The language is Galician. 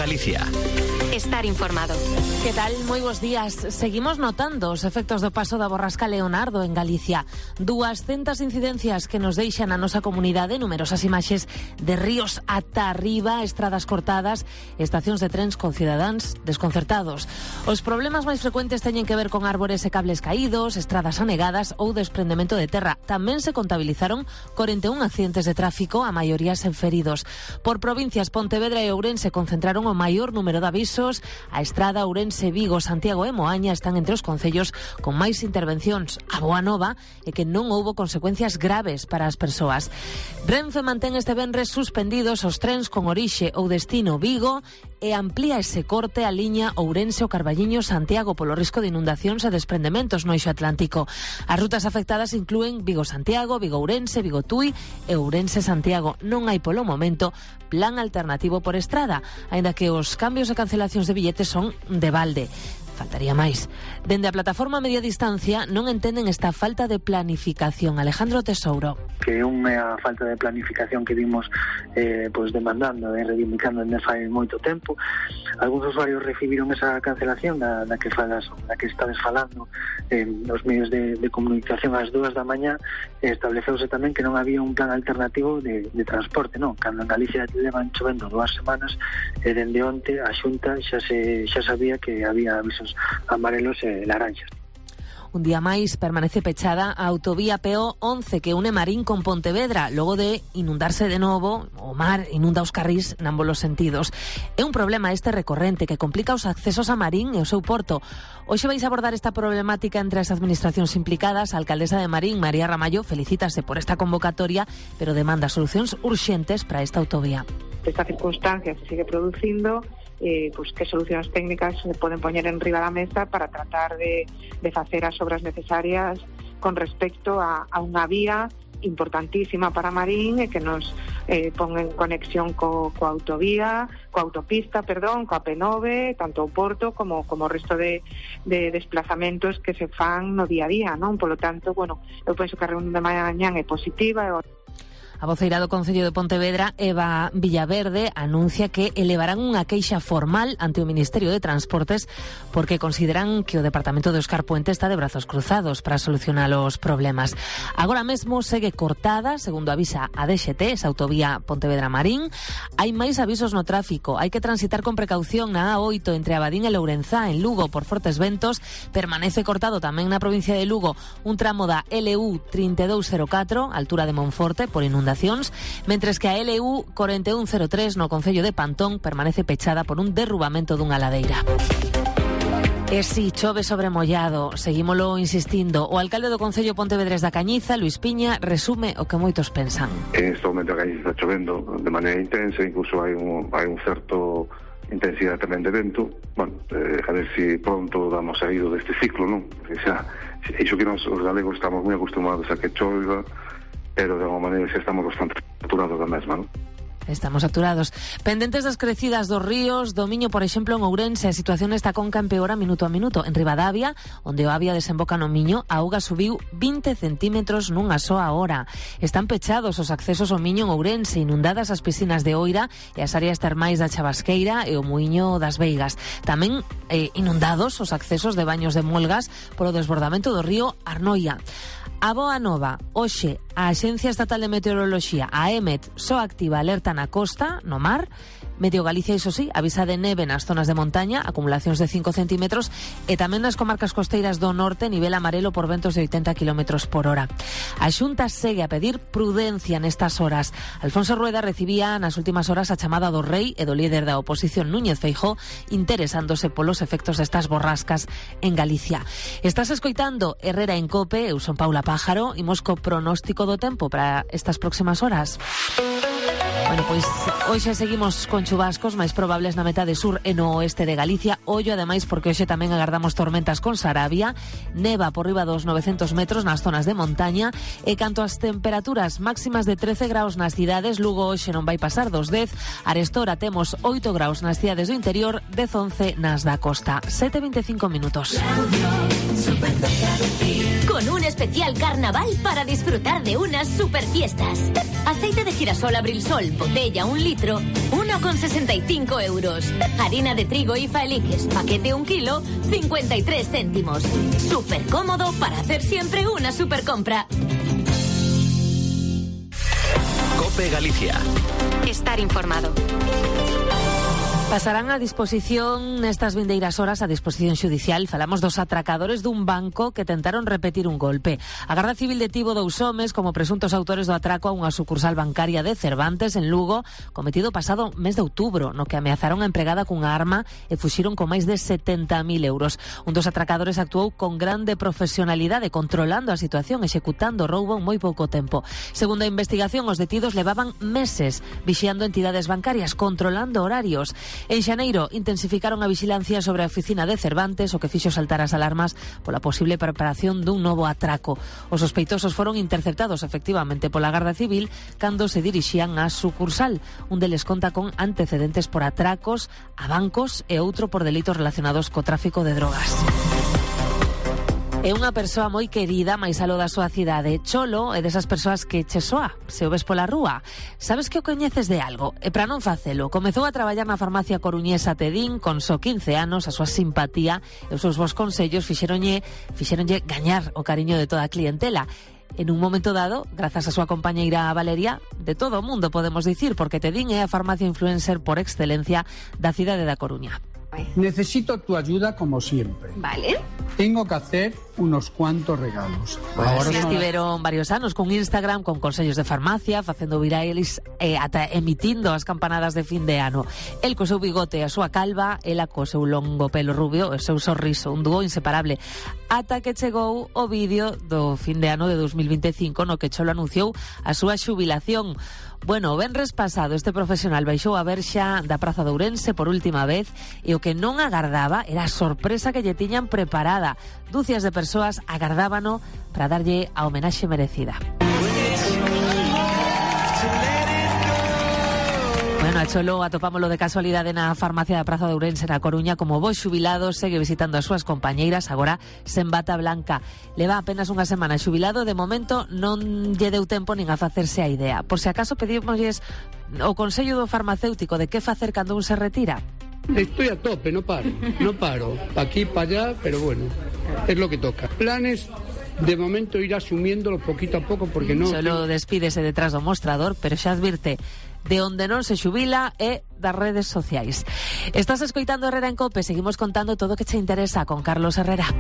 Galicia. Estar informado. Que tal? Moi bons días. Seguimos notando os efectos do paso da borrasca Leonardo en Galicia. 200 incidencias que nos deixan a nosa comunidade, numerosas imaxes de ríos ata arriba, estradas cortadas, estacións de trens con cidadáns desconcertados. Os problemas máis frecuentes teñen que ver con árbores e cables caídos, estradas anegadas ou desprendemento de terra. Tamén se contabilizaron 41 accidentes de tráfico, a maioría sen feridos. Por provincias, Pontevedra e Ourense concentraron o maior número de avisos. A estrada Ourense, Vigo, Santiago e Moaña están entre os concellos con máis intervencións. A boa nova é que non houbo consecuencias graves para as persoas. Renfe mantén este venres suspendidos os trens con orixe ou destino Vigo e amplía ese corte a liña Ourense o Carballiño Santiago polo risco de inundacións e desprendementos no eixo atlántico. As rutas afectadas inclúen Vigo-Santiago, Vigo-Ourense, Vigo-Tui e Ourense-Santiago. Non hai polo momento plan alternativo por estrada, aínda que os cambios e cancelacións de billetes son de balde. Faltaría máis. Dende a plataforma Media Distancia non entenden esta falta de planificación. Alejandro Tesouro. Que é unha falta de planificación que vimos demandando e reivindicando desde fai moito tempo. Algúns usuarios recibiron esa cancelación da que estades falando nos medios de comunicación ás 2 da mañá. Estableceuse tamén que non había un plan alternativo de transporte, non? Cando en Galicia levan chovendo 2 semanas, dende onte a Xunta xa sabía que había avisos amarelos e laranxas. Un día máis permanece pechada a autovía PO11 que une Marín con Pontevedra, logo de inundarse de novo. O mar inunda os carrís námbolos sentidos. É un problema este recorrente que complica os accesos a Marín e o seu porto. Hoxe vais abordar esta problemática entre as administracións implicadas. A alcaldesa de Marín, María Ramallo, felicítase por esta convocatoria, pero demanda solucións urxentes para esta autovía. Esta circunstancia se sigue producindo, que solucións técnicas se poden poñer en riba da mesa para tratar de facer as obras necesarias con respecto a unha vía importantísima para Marín e que nos pon en conexión coa autopista, coa P9, tanto o Porto como o resto de desplazamentos que se fan no día a día, non? Polo tanto, eu penso que a reunión de mañá é positiva. A voceira do Concello de Pontevedra, Eva Villaverde, anuncia que elevarán unha queixa formal ante o Ministerio de Transportes porque consideran que o Departamento de Óscar Puente está de brazos cruzados para solucionar os problemas. Agora mesmo segue cortada, segundo avisa a DXT, esa autovía Pontevedra-Marín. Hai máis avisos no tráfico. Hai que transitar con precaución na A8 entre Abadín e Lourenzá, en Lugo, por fortes ventos. Permanece cortado tamén na provincia de Lugo un tramo da LU 3204, altura de Monforte, por inundación, mentres que a LU 4103 no concello de Pantón permanece pechada por un derrubamento dunha ladeira. E si chove sobre mollado, seguímolo insistindo. O alcalde do Concello Pontevedrés da Cañiza, Luis Piña, resume o que moitos pensan. En este momento a Cañiza está chovendo de maneira intensa, incluso hai un certo intensidade tamén de vento. A ver se pronto damos saído deste ciclo, non? Iso que nós os galegos estamos moi acostumados a que chova, pero de alguma maneira xa estamos bastante saturados da mesma, non? Estamos saturados. Pendentes das crecidas dos ríos, do Miño, por exemplo, en Ourense, a situación esta conca empeora minuto a minuto. En Ribadavia, onde o Avia desemboca no Miño, a auga subiu 20 centímetros nunha soa hora. Están pechados os accesos ao Miño en Ourense, inundadas as piscinas de Oira e as áreas termais da Chavasqueira e o Muiño das Veigas. Tamén inundados os accesos de Baños de Molgas polo desbordamento do río Arnoia. A boa nova, hoxe a Axencia Estatal de Meteoroloxía, a EMET, só activa alerta na costa, no mar. Medio Galicia, iso sí, avisa de neve nas zonas de montaña, acumulacións de 5 centímetros, e tamén nas comarcas costeiras do norte, nivel amarelo por ventos de 80 km por hora. A Xunta segue a pedir prudencia nestas horas. Alfonso Rueda recibía nas últimas horas a chamada do Rei e do líder da oposición Núñez Feijóo, interesándose polos efectos destas borrascas en Galicia. Estás escoitando Herrera en Cope, eu son Paula Pájaro, imos co pronóstico do tempo para estas próximas horas. Pois hoxe seguimos con chubascos máis probables na metade sur e no oeste de Galicia. Ollo, ademais, porque hoxe tamén agardamos tormentas con Sarabia, neva por riba dos 900 metros nas zonas de montaña, e canto ás temperaturas máximas de 13 graus nas cidades, Lugo hoxe non vai pasar dos 10, Arestora temos 8 graus nas cidades do interior, 10-11 nas da costa. 7:25 minutos. con un especial carnaval para disfrutar de unas super fiestas. Aceite de girasol Abrilsol, botella 1 litro, 1,65 euros. Harina de trigo IFA eliges, paquete 1 kilo, 53 céntimos. Súper cómodo para hacer siempre una super compra. COPE Galicia. Estar informado. Pasarán a disposición nestas vindeiras horas a disposición xudicial. Falamos dos atracadores dun banco que tentaron repetir un golpe. A Garda Civil detivo 2 homes como presuntos autores do atraco a unha sucursal bancaria de Cervantes en Lugo, cometido pasado mes de outubro, no que ameazaron a empregada cunha arma e fuxiron con máis de 70.000 euros. Un dos atracadores actuou con grande profesionalidade, controlando a situación, executando o roubo en moi pouco tempo. Segundo a investigación, os detidos levaban meses vixiando entidades bancarias, controlando horarios. En xaneiro intensificaron a vixilancia sobre a oficina de Cervantes, o que fixo saltar as alarmas pola posible preparación dun novo atraco. Os sospeitosos foron interceptados efectivamente pola Garda Civil cando se dirixían á sucursal. Un deles conta con antecedentes por atracos a bancos e outro por delitos relacionados co tráfico de drogas. É unha persoa moi querida máis aló da súa cidade. Cholo é desas persoas que che soa se o ves pola rúa. Sabes que o coñeces de algo? E para non facelo, comezou a traballar na farmacia coruñesa Tedín con só 15 anos. A súa simpatía e os seus bons consellos fixéronlle gañar o cariño de toda a clientela. En un momento dado, grazas a súa compañeira Valeria, de todo o mundo podemos dicir, porque Tedín é a farmacia influencer por excelencia da cidade da Coruña. Necesito tu ayuda como siempre. Vale. Tengo que hacer unos cuantos regalos. Ahora sí, estiveron varios anos con Instagram, con consellos de farmacia, facendo virales ata emitindo as campanadas de fin de ano. El co seu bigote e a súa calva, ela co seu longo pelo rubio e o seu sorriso, un dúo inseparable. Ata que chegou o vídeo do fin de ano de 2025 no que Cholo anunciou a súa xubilación. Bueno, o venres pasado este profesional baixou a verxa da Praza de Ourense por última vez e o que non agardaba era a sorpresa que lle tiñan preparada. Dúcias de persoas agardábano para darlle a homenaxe merecida. Bueno, a Cholo atopámolo de casualidade na farmacia da Praza de Ourense na Coruña como bo xubilado, segue visitando as súas compañeiras, agora sen bata blanca. Leva apenas unha semana xubilado, de momento non lle deu tempo nin a facerse a idea. Por se acaso pedimosles o consello do farmacéutico de que facer cando un se retira. Estoy a tope, no paro. Pa aquí, pa allá, pero bueno, es lo que toca. Planes, de momento ir asumiéndolo poquito a poco porque no... Solo despídese detrás do mostrador, pero xa advirte, de onde non se xubila é das redes sociais. Estás escoitando Herrera en COPE, seguimos contando todo o que che interesa con Carlos Herrera.